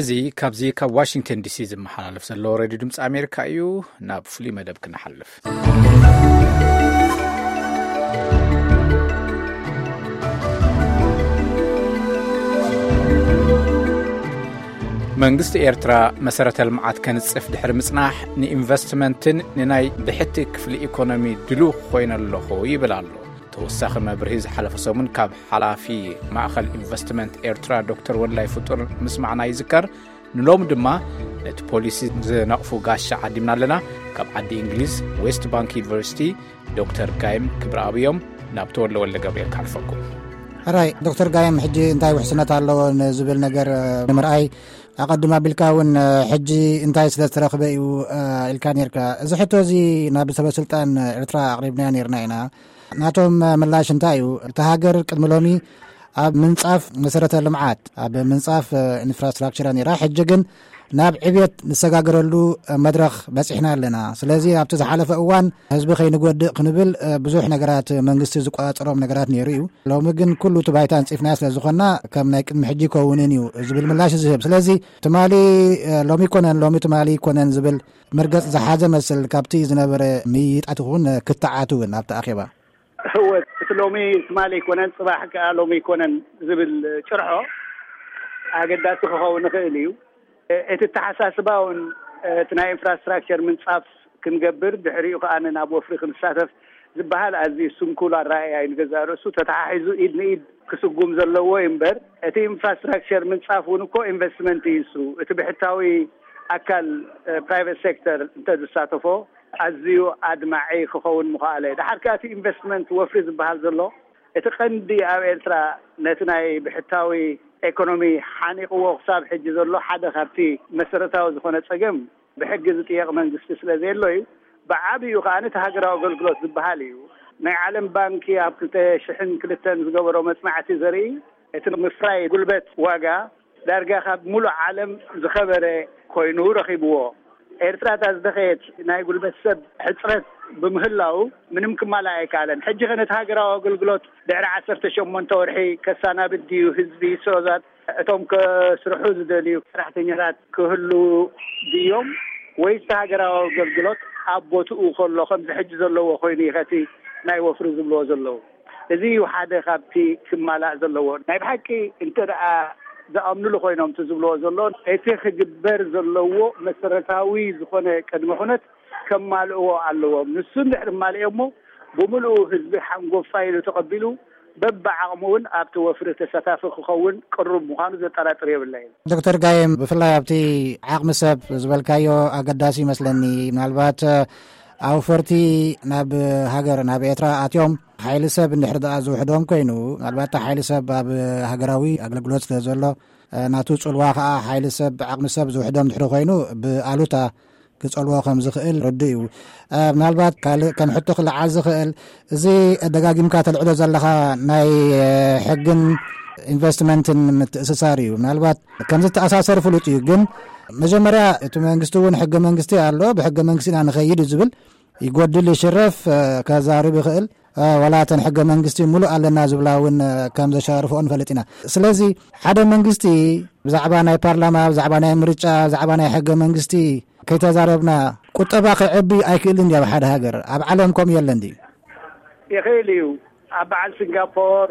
እዚ ካብዚ ካብ ዋሽንግተን ዲሲ ዝመሓላለፍ ዘሎ ሬድዮ ድምፂ ኣሜሪካ እዩ። ናብ ፍሉይ መደብ ክንሓልፍ። መንግስቲ ኤርትራ መሰረተ ልምዓት ከንጽፍ ድሕሪ ምጽናሕ፣ ንኢንቨስትመንትን ንናይ ብሕቲ ክፍሊ ኢኮኖሚ ድሉው ኮይነ ኣለኹ ይብል ኣሎ። ተወሳኺ መብርሂ ዝሓለፈ ሰሙን ካብ ሓላፊ ማእኸል ኢንቨስትመንት ኤርትራ ዶክተር ወላይ ፍጡር ምስማዕና ይዝከር። ንሎም ድማ ነቲ ፖሊሲ ዝነቕፉ ጋሻ ዓዲምና ኣለና። ካብ ዓዲ እንግሊዝ ዌስት ባንክ ዩኒቨርሲቲ ዶክተር ጋይም ክብረኣብ እዮም። ናብ ተወልደ ወልደ ገብርኤል ካልፈኩም። ሕራይ ዶክተር ጋይም፣ ሕጂ እንታይ ውሕስነት ኣለዎ ንዝብል ነገር ንምርኣይ፣ ኣቐድም ኣቢልካ እውን ሕጂ እንታይ ስለ ዝተረኽበ እዩ ኢልካ ነርካ። እዚ ሕቶ እዚ ናብ ሰበ ስልጣን ኤርትራ ኣቕሪብናዮ ነርና ኢና። ናቶም ምላሽ እንታይ እዩ? እታ ሃገር ቅድሚ ሎሚ ኣብ ምንጻፍ መሰረተ ልምዓት፣ ኣብ ምንጻፍ ኢንፍራስትራክቸር ነራ። ሕጂ ግን ናብ ዕብየት ንሰጋገረሉ መድረኽ በጺሕና ኣለና። ስለዚ ኣብቲ ዝሓለፈ እዋን ህዝቢ ከይንጎድእ ክንብል ብዙሕ ነገራት መንግስቲ ዝቆጻጸሮም ነገራት ነይሩ እዩ። ሎሚ ግን ኩሉ እቲ ባይታ ኣንጺፍናዮ ስለ ዝኾንና፣ ከም ናይ ቅድሚ ሕጂ ይከውንን እዩ ዝብል ምላሽ ዝህብ። ስለዚ ትማሊ ሎሚ ይኮነን፣ ሎሚ ትማሊ ይኮነን ዝብል መርገጽ ዝሓዘ መስል ካብቲ ዝነበረ ምይይጣት ይኹን ክትዓት እውን ኣብቲ ኣኼባ። እወ፣ እቲ ሎሚ ትማሊ ኣይኮነን፣ ጽባሕ ከኣ ሎሚ ኣይኮነን ዝብል ጭርሖ ኣገዳሲ ክኸውን ይኽእል እዩ። እቲ ኣተሓሳስባ እውን፣ እቲ ናይ ኢንፍራስትራክቸር ምንጻፍ ክንገብር፣ ድሕሪኡ ከኣ ናብ ወፍሪ ክንሳተፍ ዝበሃል ኣዝዩ ስንኩል ኣረኣእያ እዩ። ንገዛእ ርእሱ ተተሓሒዙ ኢድ ንኢድ ክስጉም ዘለዎ እዩ እምበር፣ እቲ ኢንፍራስትራክቸር ምንጻፍ እውን እኮ ኢንቨስትመንት እዩ። እሱ እቲ ብሕታዊ ኣካል፣ ፕራይቬት ሴክተር እንተ ዝሳተፎ፣ ኣዝዩ ኣድማዒ ክኸውን ምኽኣለ። ደሓር ከኣ እቲ ኢንቨስትመንት ወፍሪ ዝበሃል ዘሎ፣ እቲ ቀንዲ ኣብ ኤርትራ ነቲ ናይ ብሕታዊ ኤኮኖሚ ሓኒቕዎ ክሳብ ሕጂ ዘሎ ሓደ ካብቲ መሰረታዊ ዝኾነ ጸገም፣ ብሕጊ ዝጥየቕ መንግስቲ ስለ ዘየሎ እዩ። ብዓቢኡ ከኣ እቲ ሃገራዊ ኣገልግሎት ዝበሃል እዩ። ናይ ዓለም ባንኪ ኣብ ክልተ ሽሕን ክልተን ዝገበሮ መጽናዕቲ ዘርኢ፣ እቲ ምፍራይ ጉልበት ዋጋ ዳርጋ ካብ ሙሉእ ዓለም ዝኸበረ ኮይኑ ረኺብዎ። ኤርትራ እታ ዝደኸየት ናይ ጉልበት ሰብ ሕጽረት ብምህላው ምንም ክማላእ ኣይከኣለን። ሕጂ ከ ነቲ ሃገራዊ ኣገልግሎት ድሕሪ ዓሰርተ ሸሞንተ ወርሒ ከሳናብድ ድዩ ህዝቢ? ሶዛት እቶም ከስርሑ ዝደልዩ ሰራሕተኛታት ክህሉ ድዮም? ወይስ እቲ ሃገራዊ ኣገልግሎት ኣብ ቦትኡ ከሎ ከምዚ ሕጂ ዘለዎ ኮይኑ እዩ ከቲ ናይ ወፍሪ ዝብልዎ ዘለዉ? እዚ እዩ ሓደ ካብቲ ክማላእ ዘለዎ። ናይ ብሓቂ እንተ ደኣ ዝኣምኑሉ ኮይኖም እቲ ዝብልዎ ዘሎ፣ እቲ ክግበር ዘለዎ መሰረታዊ ዝኾነ ቅድመ ኩነት ከማልእዎ ኣለዎም። ንሱ እንድሕር ማልኦሞ፣ ብምሉኡ ህዝቢ ሓንጎፋይ ኢሉ ተቐቢሉ፣ በብዓቕሙ እውን ኣብቲ ወፍሪ ተሳታፊ ክኸውን ቅሩብ ምዃኑ ዘጠራጥር የብለይን። ዶክተር ጋይም፣ ብፍላይ ኣብቲ ዓቕሚ ሰብ ዝበልካዮ ኣገዳሲ ይመስለኒ። ምናልባት ኣውፈርቲ ናብ ሃገር፣ ናብ ኤርትራ ኣትዮም፣ ሓይሊ ሰብ እንድሕር ደኣ ዝውሕዶም ኮይኑ፣ ምናልባት እቲ ሓይሊ ሰብ ኣብ ሃገራዊ ኣገልግሎት ስለ ዘሎ፣ ናቱ ጽልዋ ከኣ ሓይሊ ሰብ፣ ዓቕሚ ሰብ ዝውሕዶም ድሕሪ ኮይኑ፣ ብኣሉታ ክጸልዎ ከም ዝኽእል ርዱእ እዩ። ምናልባት ካልእ ከም ሕቶ ክለዓል ዝኽእል፣ እዚ ደጋጊምካ ተልዕሎ ዘለኻ ናይ ሕግን ኢንቨስትመንትን ምትእስሳር እዩ። ምናልባት ከም ዝተኣሳሰር ፍሉጥ እዩ፣ ግን መጀመርያ እቲ መንግስቲ እውን ሕገ መንግስቲ ኣሎ፣ ብሕገ መንግስቲ ኢና ንኸይድ እዩ ዝብል፣ ይጎድል ይሽረፍ፣ እ፣ ከዛርብ ይኽእል። እ፣ ዋላ እተን ሕገ መንግስቲ ሙሉእ ኣለና ዝብላ እውን፣ እ፣ ከም ዘሻርፍኦ ንፈልጥ ኢና። ስለዚ ሓደ መንግስቲ ብዛዕባ ናይ ፓርላማ፣ ብዛዕባ ናይ ምርጫ፣ ብዛዕባ ናይ ሕገ መንግስቲ ከይተዛረብና ቁጠባ ክዕቢ ኣይክእልን ድዩ? ኣብ ሓደ ሃገር፣ ኣብ ዓለም ከምኡ የለን ድዩ? ይኽእል እዩ። ኣብ በዓል ሲንጋፖር፣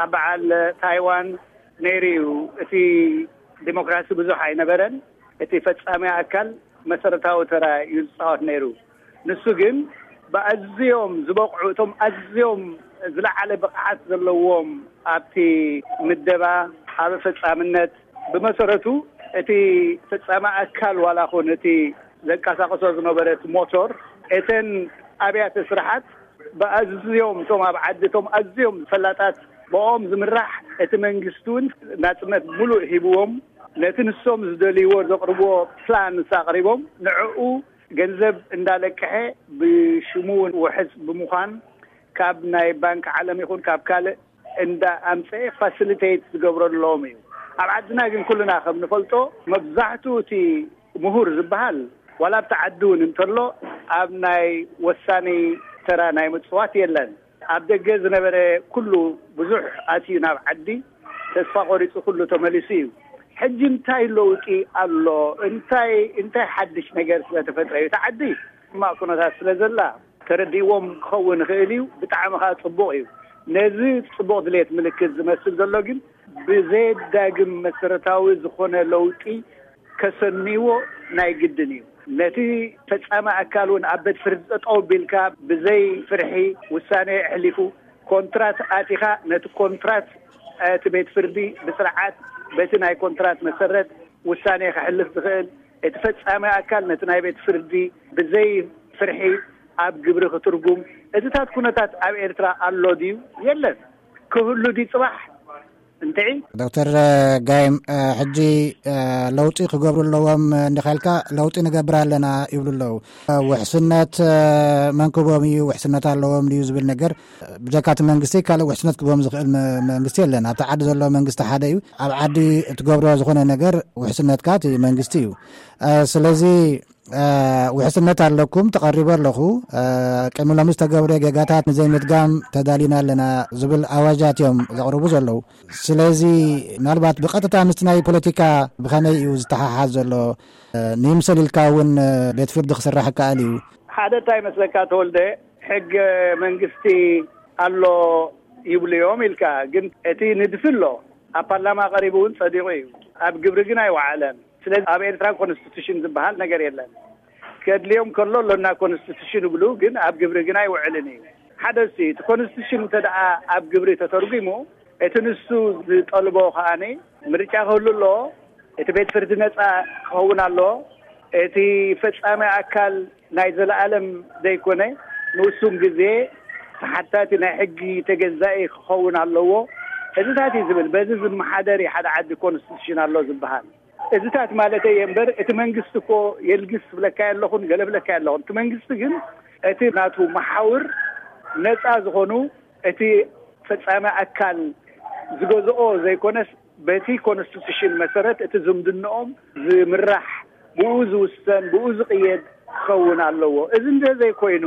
ኣብ በዓል ታይዋን ነይሩ እዩ። እቲ ዲሞክራሲ ብዙሕ ኣይነበረን። እቲ ፈጻሚ ኣካል መሰረታዊ ተራ እዩ ዝጻወት ነይሩ። ንሱ ግን ብኣዝዮም ዝበቕዑ፣ እቶም ኣዝዮም ዝለዓለ ብቕዓት ዘለዎም ኣብቲ ምደባ፣ ኣብ ፈጻምነት፣ ብመሰረቱ እቲ ፈጻሚ ኣካል ዋላ ኹን እቲ ዘንቀሳቕሶ ዝነበረ እቲ ሞቶር፣ እተን ኣብያተ ስራሓት ብኣዝዮም፣ እቶም ኣብ ዓዲ፣ እቶም ኣዝዮም ፈላጣት ብኦም ዝምራሕ፣ እቲ መንግስቲ እውን ናጽነት ሙሉእ ሂብዎም፣ ነቲ ንሶም ዝደልይዎ ዘቕርብዎ ፕላን ምስ ኣቕሪቦም፣ ንዕኡ ገንዘብ እንዳለቀሐ ብሽሙ እውን ውሕስ ብምዃን፣ ካብ ናይ ባንክ ዓለም ይኹን ካብ ካልእ እንዳ ኣምፀኤ ፋሲሊቴት ዝገብረሎም እዩ። ኣብ ዓድና ግን ኩልና ከም ንፈልጦ፣ መብዛሕትኡ እቲ ምሁር ዝበሃል ዋላ ኣብቲ ዓዲ እውን እንተሎ፣ ኣብ ናይ ወሳኒ ተራ ናይ ምፅዋት የለን። ኣብ ደገ ዝነበረ ኩሉ ብዙሕ ኣትዩ ናብ ዓዲ፣ ተስፋ ቆሪፁ ኩሉ ተመሊሱ እዩ። ሕጂ እንታይ ለውጢ ኣሎ? እንታይ እንታይ ሓድሽ ነገር ስለተፈጥረ እዩ? እቲ ዓዲ ሕማቕ ኩነታት ስለ ዘላ ተረዲእዎም ክኸውን ይኽእል እዩ። ብጣዕሚ ከዓ ጽቡቕ እዩ። ነዚ ጽቡቕ ድሌት ምልክት ዝመስል ዘሎ ግን ብዘየዳግም መሰረታዊ ዝኾነ ለውጢ ከሰንይዎ ናይ ግድን እዩ። ነቲ ፈጻሚ ኣካል እውን ኣብ ቤት ፍርዲ ጠጠው ቢልካ ብዘይ ፍርሒ ውሳኔ ኣሕሊፉ ኮንትራት ኣቲኻ ነቲ ኮንትራት እቲ ቤት ፍርዲ ብስርዓት በቲ ናይ ኮንትራት መሰረት ውሳኔ ከሕልፍ ዝኽእል እቲ ፈጻሚ ኣካል ነቲ ናይ ቤት ፍርዲ ብዘይ ፍርሒ ኣብ ግብሪ ክትርጉም እዚታት ኩነታት ኣብ ኤርትራ ኣሎ ድዩ? የለን። ክህሉ ድዩ ጽባሕ? እንትዒ ዶክተር ጋይም ሕጂ ለውጢ ክገብሩ ኣለዎም እንዲካልካ ለውጢ ንገብር ኣለና ይብሉ ኣለዉ። ውሕስነት መንክቦም እዩ፣ ውሕስነት ኣለዎም እዩ ዝብል ነገር ብጀካቲ መንግስቲ ካልእ ውሕስነት ክቦም ዝኽእል መንግስቲ የለን። ኣብቲ ዓዲ ዘሎ መንግስቲ ሓደ እዩ። ኣብ ዓዲ እትገብሮ ዝኾነ ነገር ውሕስነትካ እቲ መንግስቲ እዩ። ስለዚ ውሕስነት ኣለኩም፣ ተቐሪቡ ኣለኹ። ቅድሚ ሎሚ ዝተገብረ ጌጋታት ንዘይምድጋም ተዳሊና ኣለና ዝብል ኣዋጃት እዮም ዘቕርቡ ዘለዉ። ስለዚ ምናልባት ብቐጥታ ምስቲ ናይ ፖለቲካ ብኸመይ እዩ ዝተሓሓዝ ዘሎ? ንምስል ኢልካ እውን ቤት ፍርዲ ክስራሕ ይከኣል እዩ። ሓደ እንታይ መስለካ ተወልደ፣ ሕገ መንግስቲ ኣሎ ይብሉ እዮም ኢልካ፣ ግን እቲ ንድፊ ኣሎ ኣብ ፓርላማ ቀሪቡ እውን ጸዲቑ እዩ። ኣብ ግብሪ ግን ኣይወዓለን። ስለዚ ኣብ ኤርትራ ኮንስቲቱሽን ዝበሃል ነገር የለን። ከድልዮም ከሎ ኣሎና ኮንስቲቱሽን ይብሉ፣ ግን ኣብ ግብሪ ግን ኣይውዕልን እዩ። ሓደ ሲ እቲ ኮንስቲቱሽን እንተ ደኣ ኣብ ግብሪ ተተርጉሙ እቲ ንሱ ዝጠልቦ ከኣኒ ምርጫ ክህሉ ኣሎ። እቲ ቤት ፍርዲ ነጻ ክኸውን ኣሎ። እቲ ፈጻሚ ኣካል ናይ ዘለኣለም ዘይኮነ ንውሱን ግዜ ተሓታቲ ናይ ሕጊ ተገዛኢ ክኸውን ኣለዎ። እዚታት እዩ ዝብል። በዚ ዝመሓደር እዩ ሓደ ዓዲ ኮንስቲቱሽን ኣሎ ዝበሃል። እዚታት ማለተይ እየ እምበር እቲ መንግስቲ እኮ የልግስ ብለካ ኣለኹን ገለ ብለካ ኣለኹን። እቲ መንግስቲ ግን እቲ ናቱ መሓውር ነፃ ዝኾኑ እቲ ፈጻሚ ኣካል ዝገዝኦ ዘይኮነስ በቲ ኮንስቲቱሽን መሰረት እቲ ዝምድንኦም ዝምራሕ ብኡ ዝውሰን ብኡ ዝቕየድ ክኸውን ኣለዎ። እዚ እንተ ዘይኮይኑ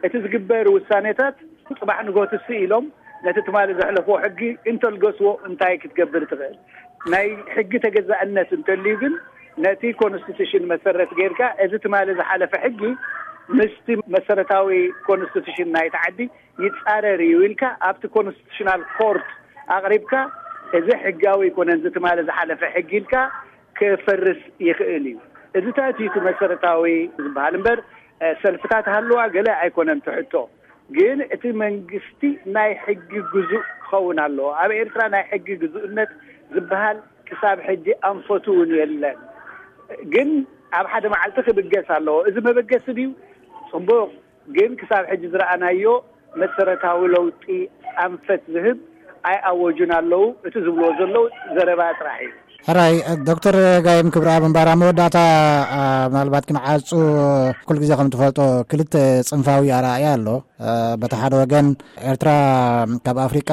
እቲ ዝግበር ውሳኔታት ጽባሕ ንጎትሲ ኢሎም ነቲ ትማሊ ዘሕለፍዎ ሕጊ እንተልገስዎ እንታይ ክትገብር ትኽእል? ናይ ሕጊ ተገዛእነት እንተልዩ ግን ነቲ ኮንስቲቱሽን መሰረት ጌርካ እዚ ትማሊ ዝሓለፈ ሕጊ ምስቲ መሰረታዊ ኮንስቲቱሽን ናይቲ ዓዲ ይጻረር እዩ ኢልካ ኣብቲ ኮንስቲቱሽናል ኮርት ኣቕሪብካ እዚ ሕጋዊ ኣይኮነን እዚ ትማሊ ዝሓለፈ ሕጊ ኢልካ ክፈርስ ይኽእል እዩ። እዚታት እዩ እቲ መሰረታዊ ዝበሃል እምበር ሰልፍታት ሃለዋ ገለ ኣይኮነን ትሕቶ። ግን እቲ መንግስቲ ናይ ሕጊ ግዙእ ክኸውን ኣለዎ። ኣብ ኤርትራ ናይ ሕጊ ግዙእነት ዝበሃል ክሳብ ሕጂ ኣንፈቱ እውን የለን። ግን ኣብ ሓደ መዓልቲ ክብገስ ኣለዎ። እዚ መበገሲ ድዩ? ጽቡቕ። ግን ክሳብ ሕጂ ዝረኣናዮ መሰረታዊ ለውጢ ኣንፈት ዝህብ ኣይኣወጁን ኣለዉ። እቲ ዝብልዎ ዘለዉ ዘረባ ጥራሕ እዩ። ሕራይ። ዶክተር ጋይም ክብረኣብ እምበኣር ኣብ መወዳእታ ምናልባት ክንዓጹ ኩሉ ግዜ ከም ትፈልጦ ክልተ ጽንፋዊ ኣረኣእያ ኣሎ። በቲ ሓደ ወገን ኤርትራ ካብ ኣፍሪቃ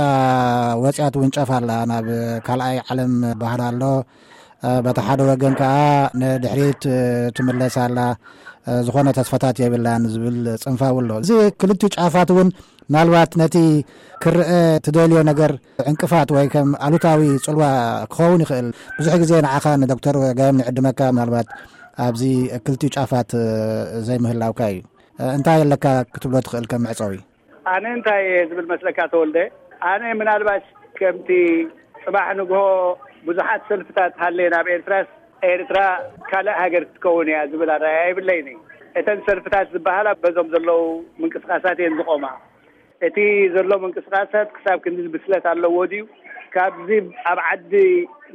ወጽያ ትውንጨፍ ኣላ፣ ናብ ካልኣይ ዓለም ባህል ኣሎ። በቲ ሓደ ወገን ከዓ ንድሕሪት ትምለስ ኣላ፣ ዝኾነ ተስፋታት የብላን ዝብል ጽንፋዊ ኣሎ። እዚ ክልቲኡ ጫፋት እውን ምናልባት ነቲ ክርአ ትደልዮ ነገር ዕንቅፋት ወይ ከም ኣሉታዊ ጽልዋ ክኸውን ይኽእል። ብዙሕ ግዜ ንዓኻ ንዶክተር ጋይም ንዕድመካ ምናልባት ኣብዚ ክልቲኡ ጫፋት ዘይምህላውካ እዩ። እንታይ ኣለካ ክትብሎ ትኽእል ከም መዕጸዊ? ኣነ እንታይ እየ ዝብል መስለካ ተወልደ? ኣነ ምናልባሽ ከምቲ ጽባሕ ንግሆ ብዙሓት ሰልፍታት ሃለየ ናብ ኤርትራስ ኤርትራ ካልእ ሃገር ክትከውን እያ ዝብል ኣረኣእያ የብለይን። እተን ሰልፍታት ዝበሃላ በዞም ዘለዉ ምንቅስቃሳት እየን ዝቆማ። እቲ ዘሎ ምንቅስቃሳት ክሳብ ክንዲ ብስለት ኣለዎ ድዩ? ካብዚ ኣብ ዓዲ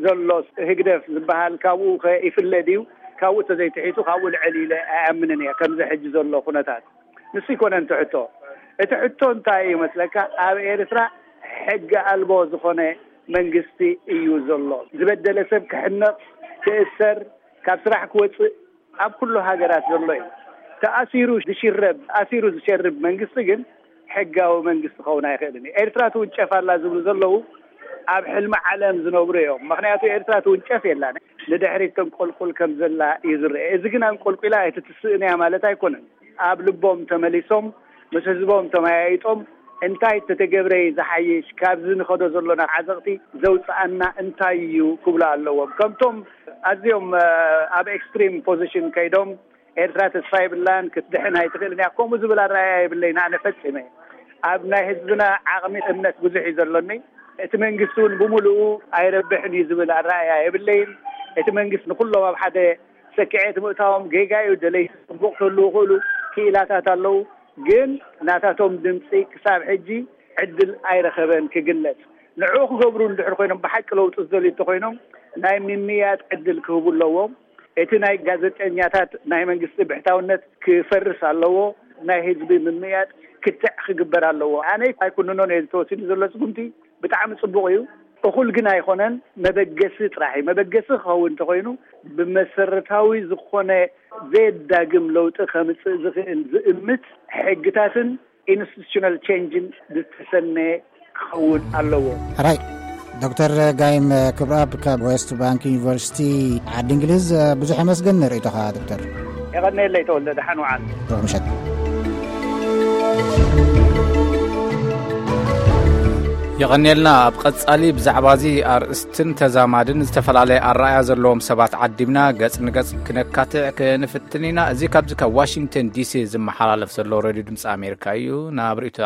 ዘሎ ህግደፍ ዝበሃል ካብኡ ከ ይፍለ ድዩ? ካብኡ ተዘይትሒቱ ካብኡ ልዕል ኢለ ኣይኣምንን እየ። ከምዚ ሕጂ ዘሎ ኩነታት ንሱ ይኮነን እቲ ሕቶ። እቲ ሕቶ እንታይ እዩ መስለካ? ኣብ ኤርትራ ሕጊ ኣልቦ ዝኾነ መንግስቲ እዩ ዘሎ። ዝበደለ ሰብ ክሕነቕ፣ ክእሰር፣ ካብ ስራሕ ክወፅእ ኣብ ኩሉ ሃገራት ዘሎ እዩ። ተኣሲሩ ዝሽረብ፣ ተኣሲሩ ዝሸርብ መንግስቲ ግን ሕጋዊ መንግስቲ ክኸውን ኣይኽእልን እዩ። ኤርትራ ትውንጨፍ ኣላ ዝብሉ ዘለዉ ኣብ ሕልሚ ዓለም ዝነብሩ እዮም። ምኽንያቱ ኤርትራ ትውንጨፍ የላን። ንድሕሪት ተንቆልቁል ከም ዘላ እዩ ዝረአ። እዚ ግን ኣንቆልቁላ ኣይትትስእን እያ ማለት ኣይኮነን። ኣብ ልቦም ተመሊሶም ምስ ህዝቦም ተመያይጦም እንታይ ተተገብረ ዝሓይሽ፣ ካብዚ ንኸዶ ዘሎና ዓዘቕቲ ዘውፅኣና እንታይ እዩ ክብሉ ኣለዎም። ከምቶም ኣዝዮም ኣብ ኤክስትሪም ፖዚሽን ከይዶም፣ ኤርትራ ተስፋ የብላን፣ ክትድሕን ኣይትኽእልን እያ፣ ከምኡ ዝብል ኣረኣያ የብለይን። ኣነ ፈጺመ ኣብ ናይ ህዝብና ዓቕሚ እምነት ብዙሕ እዩ ዘሎኒ። እቲ መንግስቲ እውን ብምሉኡ ኣይረብሕን እዩ ዝብል ኣረኣያ የብለይን። እቲ መንግስቲ ንኩሎም ኣብ ሓደ ሰኪዐት ምእታዎም ጌጋ እዩ። ደለይቲ ጽቡቕ ክህልዉ ይኽእሉ፣ ክኢላታት ኣለዉ። ግን ናታቶም ድምፂ ክሳብ ሕጂ ዕድል ኣይረኸበን ክግለጽ። ንዕኡ ክገብሩ እንድሕር ኮይኖም፣ ብሓቂ ለውጢ ዝደልዩ እንተኮይኖም፣ ናይ ምምያጥ ዕድል ክህቡ ኣለዎም። እቲ ናይ ጋዜጠኛታት ናይ መንግስቲ ብሕታውነት ክፈርስ ኣለዎ። ናይ ህዝቢ ምምያጥ ክትዕ ክግበር ኣለዎ። ኣነ ኣይኩንኖን እየ፣ ዝተወሲዱ ዘሎ ስጉምቲ ብጣዕሚ ጽቡቕ እዩ። እኹል ግን ኣይኮነን። መበገሲ ጥራሕ እዩ። መበገሲ ክኸውን እንተኮይኑ፣ ብመሰረታዊ ዝኾነ ዘየዳግም ለውጢ ከምጽእ ዝኽእል ዝእምት ሕግታትን ኢንስቲቱሽናል ቼንጅን ዝተሰነ ክኸውን ኣለዎ። ሕራይ። ዶክተር ጋይም ክብረኣብ ካብ ዌስት ባንክ ዩኒቨርሲቲ ዓዲ እንግሊዝ፣ ብዙሕ የመስገን ንርእይቶኻ ዶክተር። የቐንየለይ ተወልደ፣ ደሓን ውዓል። ሩቕ ምሸት። የቐንየልና። ኣብ ቀጻሊ ብዛዕባ እዚ ኣርእስትን ተዛማድን ዝተፈላለየ ኣረኣያ ዘለዎም ሰባት ዓዲምና ገጽ ንገጽ ክነካትዕ ክንፍትን ኢና። እዚ ካብዚ ካብ ዋሽንግተን ዲሲ ዝመሓላለፍ ዘሎ ሬድዮ ድምፂ ኣሜሪካ እዩ። ናብ ርእይቶታት